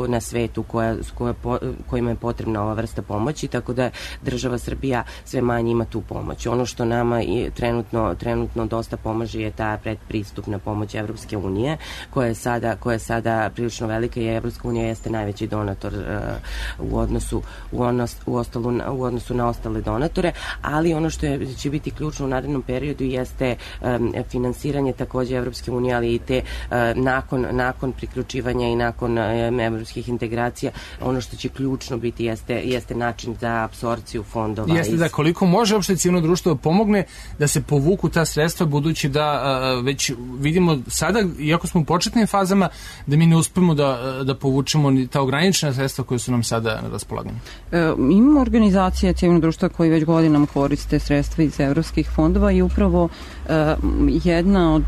na svetu kojima je potrebna ova vrsta pomoći, tako da država Srbija sve manje ima tu pomoć. Ono što nama trenutno dosta pomaže je ta predpristupna pomoć Evropske unije, koja je sada prilično velika i Evropska unija jeste najveći donator u odnosu na ostale donatore, ali ono što će biti ključno u narednom periodu jeste finansiranje takođe Evropske unije, ali i te nakon priključivanja i nakon evropskih integracija, ono što će ključno biti jeste način za apsorpciju fondova. Jeste da koliko može uopšte civilno društvo pomogne da se povuku ta sredstva, budući da već vidimo sada, iako smo u početnim fazama, da mi ne uspemo da povučemo ta ograničena sredstva koje su nam sada na raspolaganju. Imamo organizacije civilnog društva koji već godinama koriste sredstva iz evropskih fondova i upravo jedna od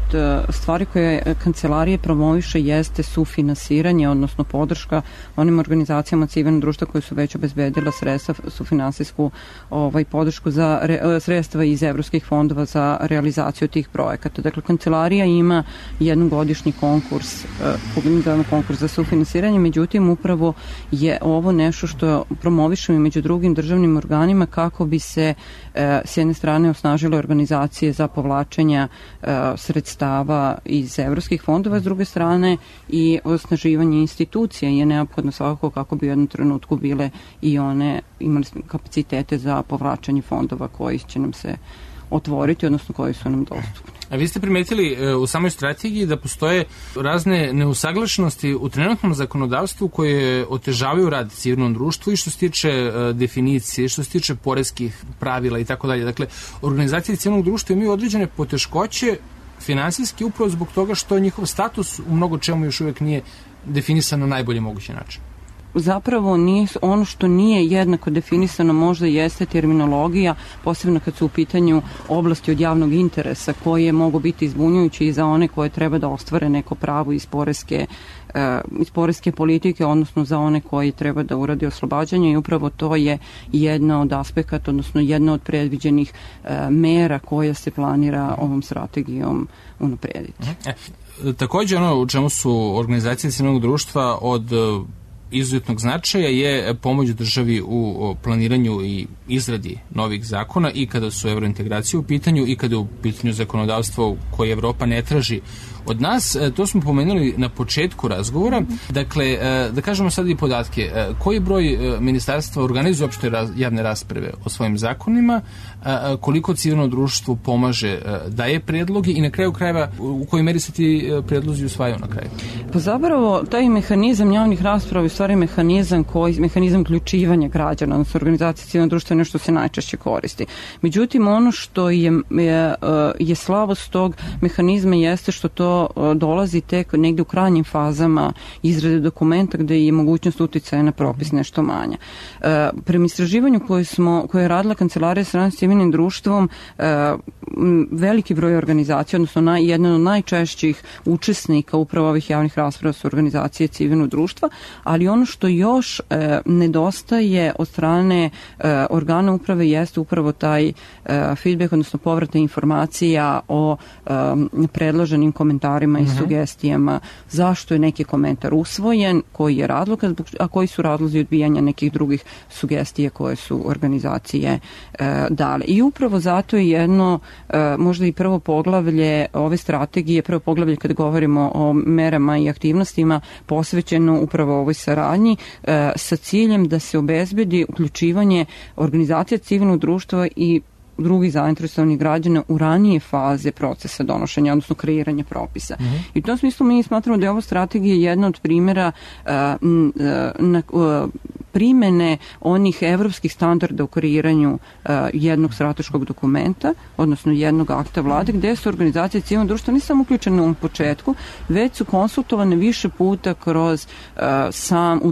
stvari koje kancelarije promoviše jeste sufinansiranje, odnosno podrška onim organizacijama civilnog društva koje su već obezbedila sredstva, sufinansijsku podršku za sredstva iz evropskih fondova za realizaciju tih projekata. Dakle, kancelarija ima jednogodišnji konkurs za sufinansiranje, međutim upravo je ovo nešto što promovišemo i među drugim državnim organima kako bi se s jedne strane osnažile organizacije za povlačenja sredstava iz evropskih fondova, s druge strane i osnaživanje institucija je neophodno svakako kako bi u jednom trenutku bile i one imali kapacitete za povlačenje fondova koji će nam se otvoriti, odnosno koji su nam dostupni. A vi ste primetili u samoj strategiji da postoje razne neusaglašenosti u trenutnom zakonodavstvu koje otežavaju rad civilnom društvu i što se tiče definicije, što se tiče poreskih pravila i tako dalje. Dakle, organizacije civilnog društva imaju određene poteškoće finansijski upravo zbog toga što njihov status u mnogo čemu još uvijek nije definisan na najbolji mogući način. Zapravo ono što nije jednako definisano možda jeste terminologija, posebno kad su u pitanju oblasti od javnog interesa koje mogu biti izbunjujući i za one koje treba da ostvare neko pravo iz poreske politike, odnosno za one koji treba da uradi oslobađanje i upravo to je jedna od aspekata, odnosno jedna od predviđenih mera koja se planira ovom strategijom unaprediti. Takođe ono u čemu su organizacije civilnog društva od izuzetnog značaja je pomoć državi u planiranju i izradi novih zakona i kada su evrointegracije u pitanju i kada je u pitanju zakonodavstvo koje Evropa ne traži od nas. To smo pomenuli na početku razgovora. Dakle, da kažemo sad i podatke. Koji broj ministarstva organizuje uopšte javne rasprave o svojim zakonima, koliko civilno društvo pomaže, daje predloge i na kraju krajeva u kojoj meri se ti predlozi usvajaju na kraju? Pa zapravo taj mehanizam javnih rasprava je u stvari mehanizam uključivanja građana, odnosno organizacije civilnog društva je nešto se najčešće koristi. Međutim, ono što je slabost tog mehanizma jeste što to dolazi tek negde u krajnjim fazama izrade dokumenta gde je mogućnost uticaja na propis nešto manja. Prema istraživanju koje je radila Kancelarija saradnje s civilnim društvom, veliki broj organizacija, odnosno jedan od najčešćih učesnika upravo ovih javnih rasprava su organizacije civilnog društva, ali ono što još nedostaje od strane organa uprave jeste upravo taj feedback, odnosno povratna informacija o predloženim komentarima i sugestijama, zašto je neki komentar usvojen, koji je razlog, a koji su razlozi odbijanja nekih drugih sugestija koje su organizacije dale. I upravo zato je jedno, možda i prvo poglavlje ove strategije, prvo poglavlje kada govorimo o merama i aktivnostima posvećeno upravo ovoj saradnji sa ciljem da se obezbedi uključivanje organizacija civilnog društva i drugih zainteresovanih građana u ranije faze procesa donošenja, odnosno kreiranja propisa. I u tom smislu mi smatramo da je ova strategija jedna od primjera primene onih evropskih standarda u kreiranju jednog strateškog dokumenta, odnosno jednog akta vlade, gde su organizacije civilnog društva ne samo uključene u toku, već su konsultovane više puta kroz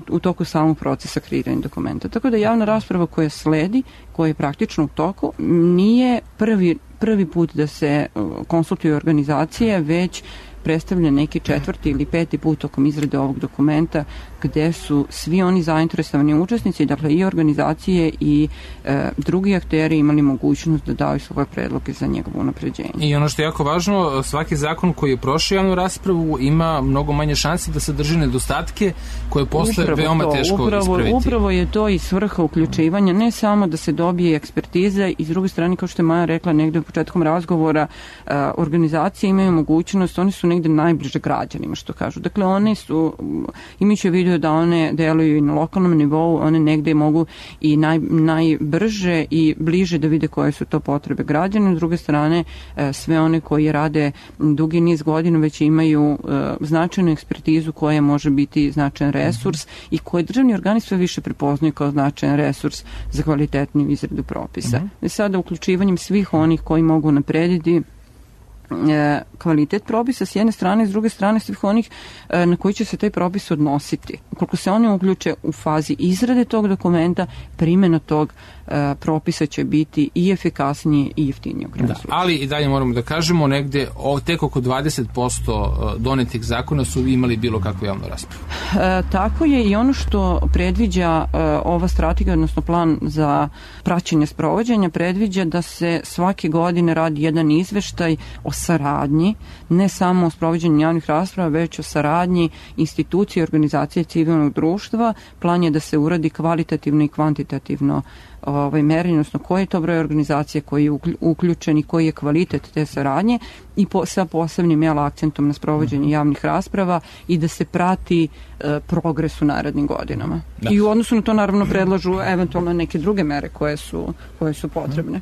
u toku samog procesa kreiranja dokumenta. Tako da javna rasprava koja sledi, koja je praktično u toku, nije prvi put da se konsultuju organizacije, već predstavlja neki 4. ili 5. put tokom izrade ovog dokumenta gde su svi oni zainteresovani učesnici, dakle i organizacije i drugi akteri imali mogućnost da daju svoje predloge za njegovo unapređenje. I ono što je jako važno, svaki zakon koji je prošao javnu raspravu ima mnogo manje šanse da sadrži nedostatke koje posle veoma teško ispraviti. Upravo je to i svrha uključivanja, ne samo da se dobije ekspertiza i s druge strane, kao što je Maja rekla negde u početkom razgovora, organizacije imaju mogućnost, oni su negde najbliže građanima, što kažu. Dakle, one su, imajući u vidu da one deluju i na lokalnom nivou, one negde mogu i najbrže i bliže da vide koje su to potrebe građana. S druge strane, sve one koji rade dugi niz godina već imaju značajnu ekspertizu koja može biti značajan resurs i koje državni organi sve više prepoznaju kao značajan resurs za kvalitetniju izradu propisa. I sada uključivanjem svih onih koji mogu naprediti kvalitet propisa s jedne strane, s druge strane svih onih na koji će se taj propis odnositi. Ukoliko se oni uključe u fazi izrade tog dokumenta, primjena tog propisa će biti i efikasnije i jeftinije. Ali i dalje moramo da kažemo, negde tek oko 20% donetih zakona su imali bilo kakvu javnu raspravu. Tako je, i ono što predviđa ova strategija, odnosno plan za praćenje sprovođenja, predviđa da se svake godine radi jedan izveštaj o saradnji, ne samo o sprovođenju javnih rasprava, već o saradnji institucije i organizacije civilnog društva. Plan je da se uradi kvalitativno i kvantitativno merenje, odnosno koji je to broj organizacije koji je uključen i koji je kvalitet te saradnje i sa posebnim akcentom na sprovođenje javnih rasprava i da se prati progres u narednim godinama. I u odnosu na to naravno predlažu eventualno neke druge mere koje su potrebne.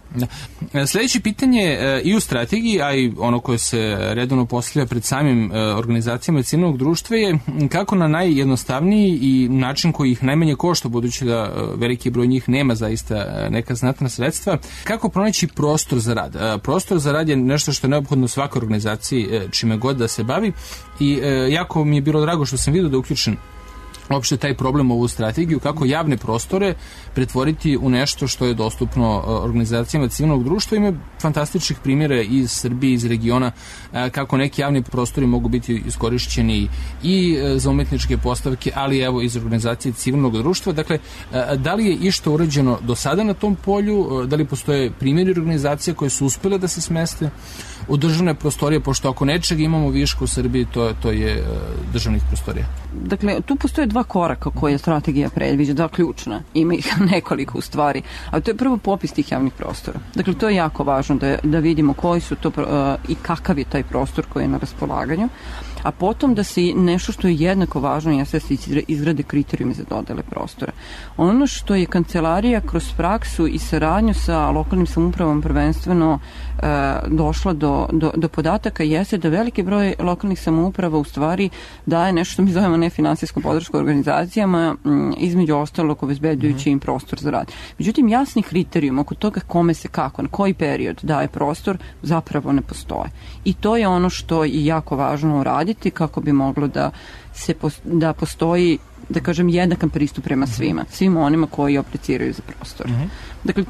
Sljedeće pitanje i u strategiji, a i ono koje se redovno postavlja pred samim organizacijama civilnog društva je kako na najjednostavniji i način koji ih najmanje košta, budući da veliki broj njih nema zaista neka znatna sredstva, kako pronaći prostor za rad. Prostor za rad je nešto što je neophodno svakoj organizaciji čime god da se bavi i jako mi je bilo drago što sam vidio da je uključen uopšte taj problem u ovu strategiju, kako javne prostore pretvoriti u nešto što je dostupno organizacijama civilnog društva. Ima fantastičnih primjera iz Srbije, iz regiona, kako neki javni prostori mogu biti iskorišćeni i za umetničke postavke, ali evo iz organizacije civilnog društva. Dakle, da li je išta urađeno do sada na tom polju, da li postoje primjeri organizacije koje su uspjele da se smeste u državne prostorije, pošto ako nečega imamo viška u Srbiji, to je državnih prostorija. Dakle, tu postoje dva dva koraka koje strategija predviđa, dva ključna, ima ih nekoliko u stvari, a to je prvo popis tih javnih prostora. Dakle, to je jako važno da vidimo koji su to i kakav je taj prostor koji je na raspolaganju, a potom da se nešto što je jednako važno jeste da se izgrade kriterijumi za dodele prostora. Ono što je kancelarija kroz praksu i saradnju sa lokalnim samoupravom prvenstveno došla do podataka jeste da veliki broj lokalnih samouprava u stvari daje nešto što mi zovemo nefinansijsku podršku organizacijama, između ostalog obezbeđujući im prostor za rad. Međutim, jasni kriterijum oko toga kome se kako, na koji period daje prostor, zapravo ne postoje. I to je ono što je jako važno uraditi kako bi moglo da postoji, da kažem, jednakan pristup prema svima onima koji apliciraju za prostor. Dakle,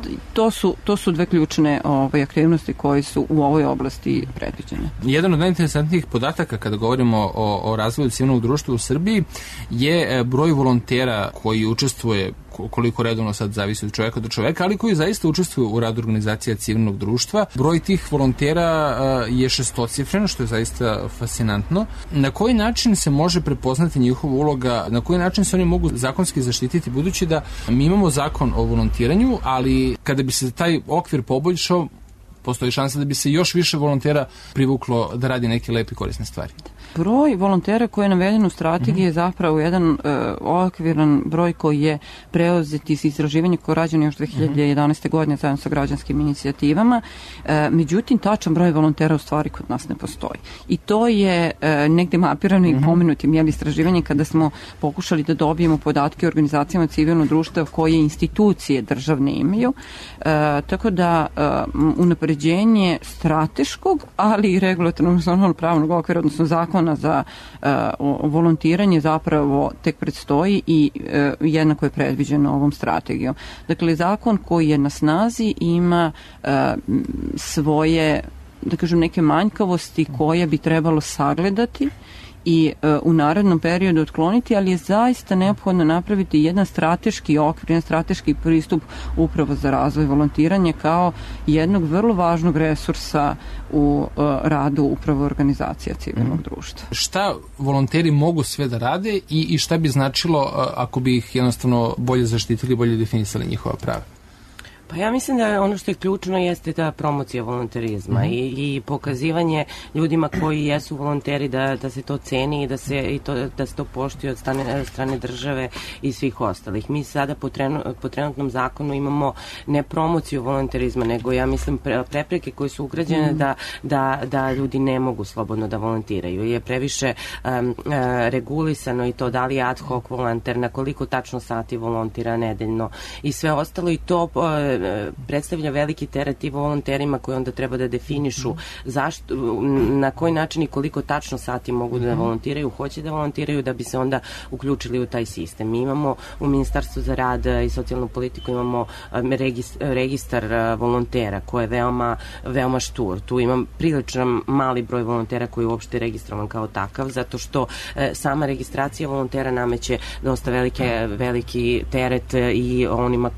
to su dve ključne aktivnosti koje su u ovoj oblasti predviđene. Jedan od najinteresantnijih podataka kada govorimo o razvoju civilnog društva u Srbiji je broj volontera koji učestvuje, koliko redovno sad zavisi od čoveka do čoveka, ali koji zaista učestvuju u radu organizacija civilnog društva. Broj tih volontera je šestocifren, što je zaista fascinantno. Na koji način se može prepoznati njihova uloga, na koji način se oni mogu zakonski zaštititi, budući da mi imamo zakon o volontiranju, ali kada bi se taj okvir poboljšao, postoji šansa da bi se još više volontera privuklo da radi neke lepe korisne stvari. Broj volontera koji je naveden u strategiji je zapravo jedan okviran broj koji je preuzet iz istraživanja koje je rađeno još 2011. godine zajedno sa građanskim inicijativama. Međutim, tačan broj volontera u stvari kod nas ne postoji. I to je negde mapirano i pomenutim istraživanjem kada smo pokušali da dobijemo podatke o organizacijama civilnog društva koje institucije državne imaju. Tako da unapređenje strateškog, ali i regulatornog pravnog okvira, odnosno zakona za volontiranje zapravo tek predstoji i jednako je predviđeno ovom strategijom. Dakle, zakon koji je na snazi ima svoje, da kažem, neke manjkavosti koje bi trebalo sagledati i u narednom periodu otkloniti, ali je zaista neophodno napraviti jedan strateški okvir, jedan strateški pristup upravo za razvoj volontiranja kao jednog vrlo važnog resursa u radu upravo organizacija civilnog društva. Šta volonteri mogu sve da rade i šta bi značilo ako bi ih jednostavno bolje zaštitili, bolje definisali njihova prava? Pa ja mislim da ono što je ključno jeste ta promocija volonterizma i pokazivanje ljudima koji jesu volonteri da se to ceni i da se to poštuje od strane države i svih ostalih. Mi sada po trenutnom zakonu imamo ne promociju volonterizma, nego ja mislim prepreke koje su ugrađene da ljudi ne mogu slobodno da volontiraju. Je previše regulisano i to da li je ad hoc volonter, na koliko tačno sati volontira nedeljno i sve ostalo, i to predstavlja veliki teret i volonterima koji onda treba da definišu na koji način i koliko tačno sati mogu da volontiraju, hoće da volontiraju da bi se onda uključili u taj sistem. Mi imamo u Ministarstvu za rad i socijalnu politiku imamo registar volontera koji je veoma štur. Tu imam prilično mali broj volontera koji je uopšte registrovan kao takav, zato što sama registracija volontera nameće dosta veliki teret i onima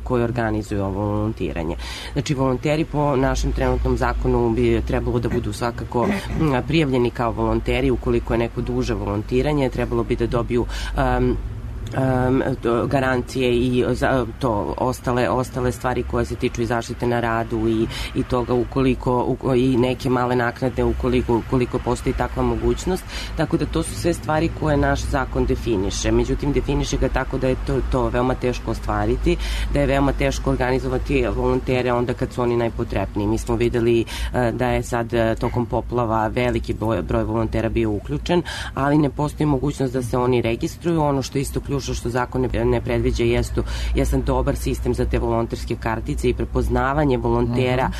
koji organizuju ovo volontiranje. Znači, volonteri po našem trenutnom zakonu bi trebalo da budu svakako prijavljeni kao volonteri. Ukoliko je neko duže volontiranje, trebalo bi da dobiju garancije i to ostale stvari koje se tiču i zaštite na radu i toga i neke male naknade ukoliko postoji takva mogućnost. Tako da to su sve stvari koje naš zakon definiše. Međutim, definiše ga tako da je to veoma teško ostvariti, da je veoma teško organizovati volontere onda kad su oni najpotrebniji. Mi smo videli da je sad tokom poplava veliki broj volontera bio uključen, ali ne postoji mogućnost da se oni registruju. Ono što isto ključno što zakon ne predviđa jesam dobar sistem za te volonterske kartice i prepoznavanje volontera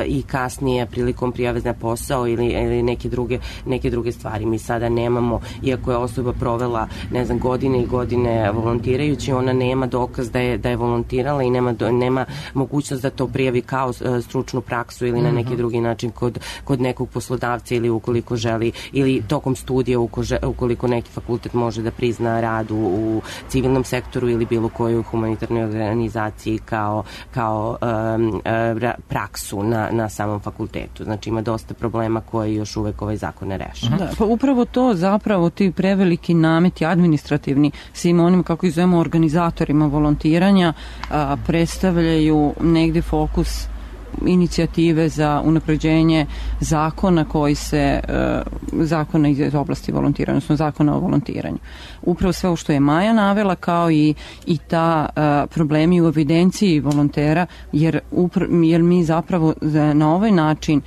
i kasnije prilikom prijave na posao ili neke druge stvari. Mi sada nemamo, iako je osoba provela godine i godine volontirajući, ona nema dokaz da je volontirala i nema mogućnost da to prijavi kao stručnu praksu ili na neki drugi način kod nekog poslodavca ili ukoliko želi, ili tokom studija ukoliko neki fakultet može da prizna rad u civilnom sektoru ili bilo kojoj humanitarnoj organizaciji kao praksu na samom fakultetu. Znači ima dosta problema koje još uvek ovaj zakon ne rešava. Da, pa upravo to zapravo ti preveliki nameti administrativni svim onim, kako ih zovemo, organizatorima volontiranja predstavljaju negde fokus inicijative za unapređenje zakona zakona iz oblasti volontiranja, odnosno zakona o volontiranju. Upravo sve ovo što je Maja navela, kao i ta problemi u evidenciji volontera, jer mi zapravo na ovaj način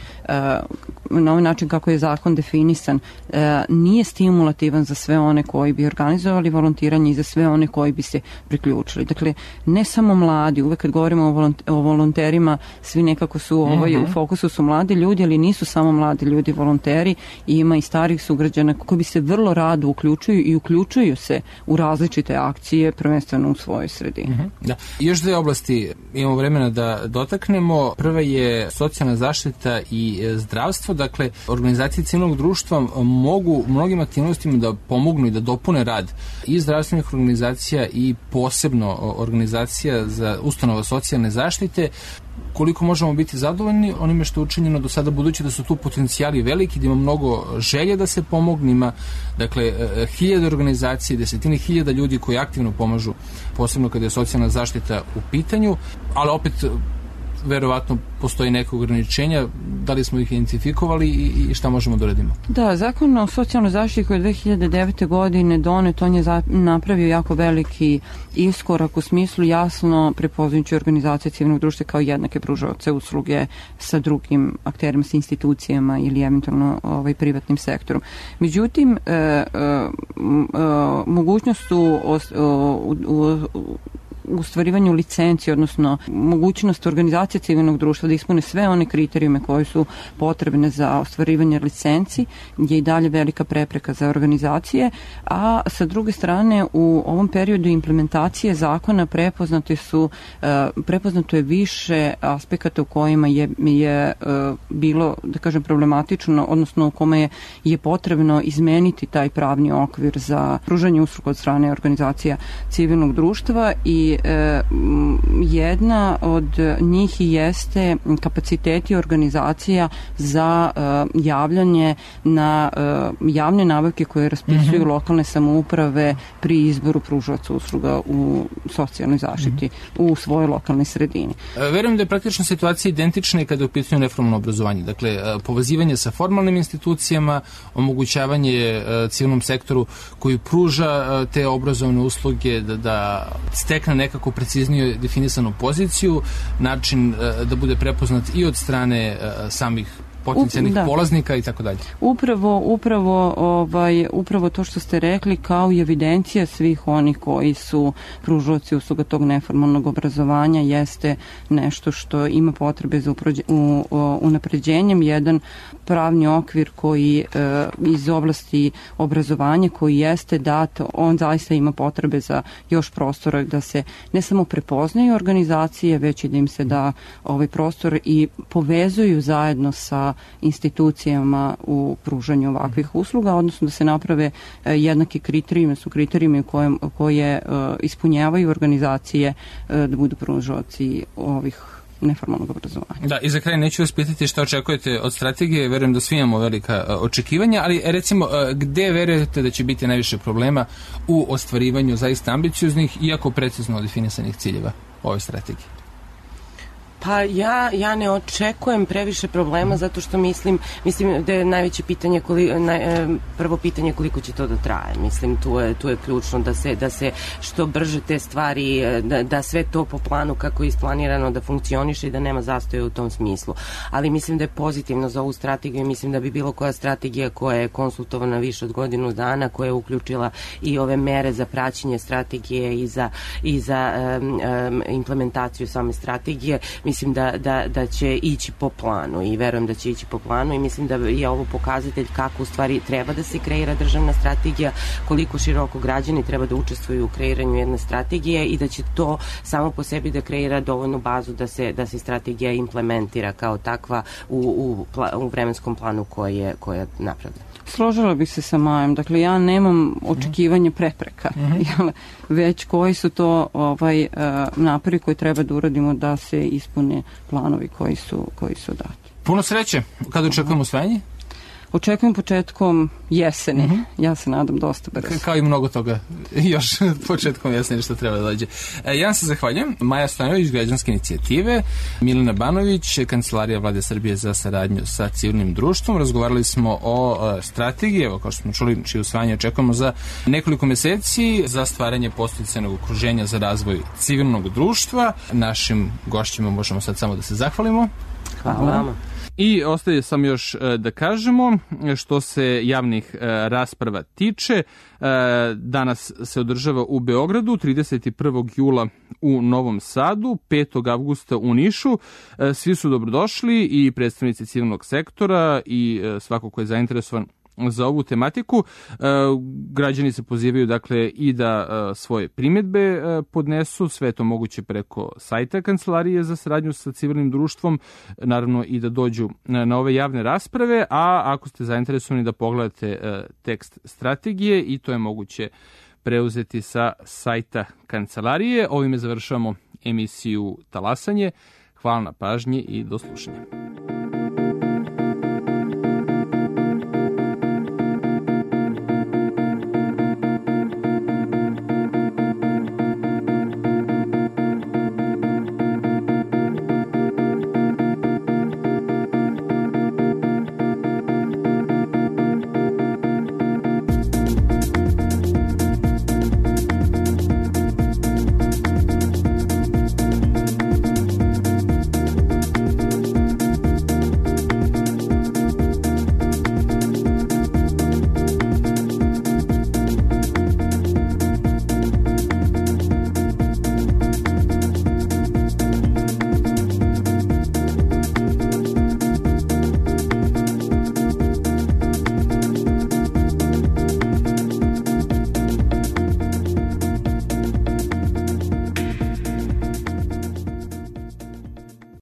kako je zakon definisan, nije stimulativan za sve one koji bi organizovali volontiranje i za sve one koji bi se priključili. Dakle, ne samo mladi, uvek kad govorimo o volonterima, svi nekako su u fokusu su mladi ljudi, ali nisu samo mladi ljudi volonteri, i ima i starih sugrađana koji bi se vrlo rado uključuju se u različite akcije, prvenstveno u svojoj sredini. Da. Još dve oblasti imamo vremena da dotaknemo. Prva je socijalna zaštita i zdravstvo. Dakle, organizacije civilnog društva mogu mnogim aktivnostima da pomognu i da dopune rad i zdravstvenih organizacija i posebno organizacija za ustanova socijalne zaštite. Koliko možemo biti zadovoljni onime što je učinjeno do sada, budući da su tu potencijali veliki, da ima mnogo želje da se pomogne, ima hiljade organizacije, desetine hiljada ljudi koji aktivno pomažu, posebno kada je socijalna zaštita u pitanju, ali opet verovatno postoji neke ograničenja, da li smo ih identifikovali i šta možemo da uradimo? Da, zakon o socijalnoj zaštiti koji je 2009. godine donet, on je napravio jako veliki iskorak u smislu jasno prepoznajući organizacije civilnog društva kao jednake pružaoce usluge sa drugim akterima, sa institucijama ili eventualno privatnim sektorom. Međutim, mogućnost u ostvarivanju licenci, odnosno mogućnost organizacije civilnog društva da ispune sve one kriterijume koje su potrebne za ostvarivanje licenci je i dalje velika prepreka za organizacije, a sa druge strane u ovom periodu implementacije zakona prepoznato je više aspekata u kojima je bilo, da kažem, problematično, odnosno u kome je potrebno izmeniti taj pravni okvir za pružanje usluga od strane organizacija civilnog društva, i jedna od njih jeste kapaciteti organizacija za javljanje na javne nabavke koje raspisuju lokalne samouprave pri izboru pružaoca usluga u socijalnoj zaštiti u svojoj lokalnoj sredini. Verujem da je praktično situacija identična i kada je u pitanju neformalno obrazovanje. Dakle, povezivanje sa formalnim institucijama, omogućavanje civilnom sektoru koji pruža te obrazovne usluge da stekne nekako preciznije definisanu poziciju, način da bude prepoznat i od strane samih potencijalnih polaznika i tako dalje. Upravo to što ste rekli, kao i evidencija svih onih koji su pružaoci usluga tog neformalnog obrazovanja jeste nešto što ima potrebe za unapređenjem. Jedan pravni okvir koji iz oblasti obrazovanja koji jeste dat, on zaista ima potrebe za još prostora da se ne samo prepoznaju organizacije, već i da im se da ovaj prostor i povezuju zajedno sa institucijama u pružanju ovakvih usluga, odnosno da se naprave jednaki kriterijumi, su kriterijumi koje ispunjavaju organizacije da budu pružaoci ovih neformalnog obrazovanja. Da, i za kraj neću vas pitati šta očekujete od strategije, verujem da svi imamo velika očekivanja, ali recimo gde verujete da će biti najviše problema u ostvarivanju zaista ambicioznih, iako precizno definisanih ciljeva ove strategije? Pa ja ne očekujem previše problema zato što mislim da je najveće pitanje prvo pitanje koliko će to da traje. Mislim tu je ključno da se što brže te stvari, da sve to po planu kako je isplanirano da funkcioniše i da nema zastoja u tom smislu. Ali mislim da je pozitivno za ovu strategiju i mislim da bi bilo koja strategija koja je konsultovana više od godinu dana, koja je uključila i ove mere za praćenje strategije i za implementaciju same strategije, mislim da će ići po planu i verujem da će ići po planu i mislim da je ovo pokazatelj kako u stvari treba da se kreira državna strategija, koliko široko građani treba da učestvuju u kreiranju jedne strategije i da će to samo po sebi da kreira dovoljnu bazu da se strategija implementira kao takva u vremenskom planu koji je napravljen. Složila bih se sa Majom. Dakle, ja nemam očekivanje prepreka, već koji su to napori koji treba da uradimo da se ispune planovi koji su dati. Puno sreće. Kada očekujemo usvajanje? Očekujem početkom jeseni. Ja se nadam dosta brzo. Kao i mnogo toga još početkom jeseni što treba da dođe. Ja vam se zahvaljujem. Maja Stojanović, Građanske inicijative, Milena Banović, Kancelarija Vlade Srbije za saradnju sa civilnim društvom. Razgovarali smo o strategiji, evo kao što smo čuli, čije usvajanje očekujemo za nekoliko meseci za stvaranje podsticajnog okruženja za razvoj civilnog društva. Našim gošćima možemo sad samo da se zahvalimo. Hvala vama. I ostaje sam još da kažemo što se javnih rasprava tiče. Danas se održava u Beogradu, 31. jula u Novom Sadu, 5. avgusta u Nišu. Svi su dobrodošli i predstavnici civilnog sektora i svako ko je zainteresovan za ovu tematiku. Građani se pozivaju dakle i da svoje primjedbe podnesu, sve je to moguće preko sajta Kancelarije za saradnju sa civilnim društvom, naravno i da dođu na ove javne rasprave, a ako ste zainteresovani da pogledate tekst strategije i to je moguće preuzeti sa sajta Kancelarije. Ovime završavamo emisiju Talasanje. Hvala na pažnji i do slušanja.